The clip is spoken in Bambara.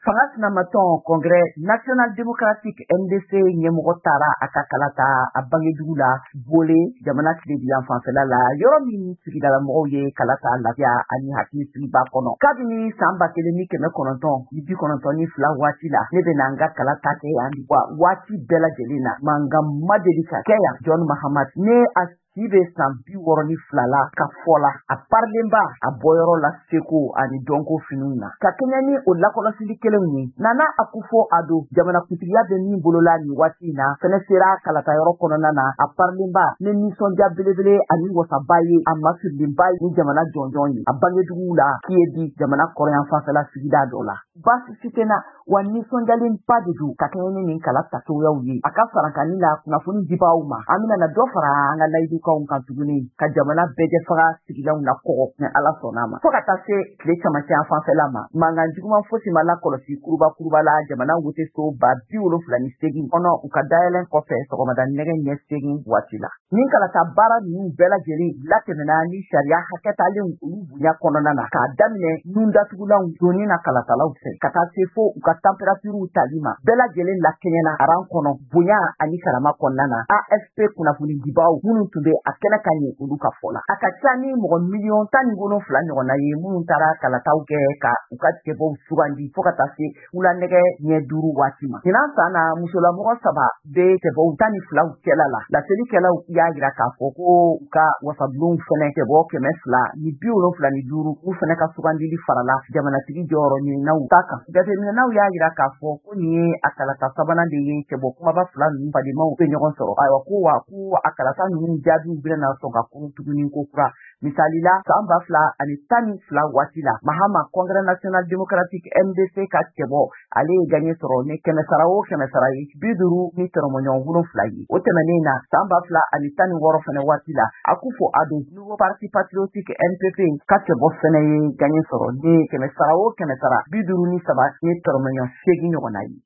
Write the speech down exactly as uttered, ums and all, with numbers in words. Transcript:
Fanga sinamatɔn Congrès National Démocratique N D C ɲɛmɔgɔ taara a ka kala ta a bangedugu la Bole, jamana tilebin fanfɛla la, yɔrɔ min sigidala mɔgɔw ye kala ta lafiya ani hakilisigiba kɔnɔ. Kabini san ba kelen ni kɛmɛ kɔnɔntɔn ni bi kɔnɔntɔn ni fila waati la, ne bɛna n ka kala ta kɛ yan wa waati bɛɛ lajɛlen na, mankan ma deli ka kɛ yan. John Mahama ne a si bɛ san bi wɔɔrɔ ni fila la ka fɔ la, a parilenba a bɔyɔrɔ la seko ani dɔnko finiw na. Ka kɛɲɛ ni o lakɔlɔsili kelenw ye, Nana Akufo Addo, jamanakuntigiya bɛ min bolola nin waati in na, fɛnɛ sera kalatayɔrɔ kɔnɔna na. A parilenba ni nisɔndiya belebele ani wasaba ye, a masirilenba ni jamana jɔnjɔn ye a bangeduguw la Kiebi, jamana kɔrɔyan fanfɛla sigida dɔ la. Baasi si tɛ na wa, nisɔndiyalenba de don ka kɛɲɛ ni nin kala tacogoyaw ye. A ka farankani la kunnafoni dibaaw ma, an bɛna na dɔ fara an ka layidukanw kan tuguni ka jamana bɛɛ faga sigilanw la kɔgɔ ni Ala sɔnna ma. Fo ka taa se tile camancɛ yan fanfɛla ma, mankan juguman fosi ma lakɔlɔsi kuruba kuruba la jamana woteso ba bi wolonfila ni segin kɔnɔ, u ka dayɛlɛn kɔfɛ sɔgɔmada nɛgɛ ɲɛ segin waati la. Nin kalata baara ninnu bɛɛ lajɛlen latɛmɛna ni sariya hakɛtalenw olu bonya kɔnɔna na, k'a daminɛ nun datugulanw donni na kalatalaw fɛ ka taa se fo u ka tanperatiriw tali ma, bɛɛ lajɛlen lakɛɲɛna aran kɔnɔ bonya ani karama kɔnɔna na. A F P kunnafoni dibaw minnu tun bɛ a kɛnɛ ka ɲɛ, olu ka fɔ la, a ka ca ni mɔgɔ miliyɔn tan ni wolonfila ɲɔgɔnna ye minnu taara kalataw kɛ ka u ka cɛbɔw sugandi fo ka taa se wula nɛgɛ ɲɛ duuru waati ma. Ɲinan san na, musolamɔgɔ saba bɛ cɛbɔw tan ni filaw cɛla la. Laselikɛlaw y'a jira k'a fɔ ko u ka wasabulonw fɛnɛ cɛbɔ kɛmɛ fila ni bi wolonfila ni duuru, u fɛnɛ ka sugandili farala jamanatigi jɔyɔrɔ ɲininaw ta kan. Jateminɛnaw y'a jira k'a fɔ ko nin ye a kalata sabanan de ye cɛbɔ kumaba fila ninnu fadenmaw bɛ ɲɔgɔn sɔrɔ. Ayiwa, ko wa ko a kalata ninnu jaabiw bɛna sɔn ka kurun tuguni ko kura. Misali la, san ba fila ani tan ni fila waati la, Mahama, Congrès National Démocratique N D C ka cɛbɔ, ale ye gaɲɛ sɔrɔ ni kɛmɛ sara o kɛmɛ sara ye bi duuru ni tɔrɔmɔɲɔgɔn wolonfila ye. O tɛmɛnen na, san ba fila ani tan ni wɔɔrɔ fɛnɛ waati la, Akufo Addo, Nouveau Parti Patriotique N P P ka cɛbɔ fɛnɛ ye gaɲɛ sɔrɔ ni kɛmɛ sara o kɛmɛ sara bi duuru ni saba ni tɔrɔmɔɲɔgɔn seegin ɲɔgɔnna ye.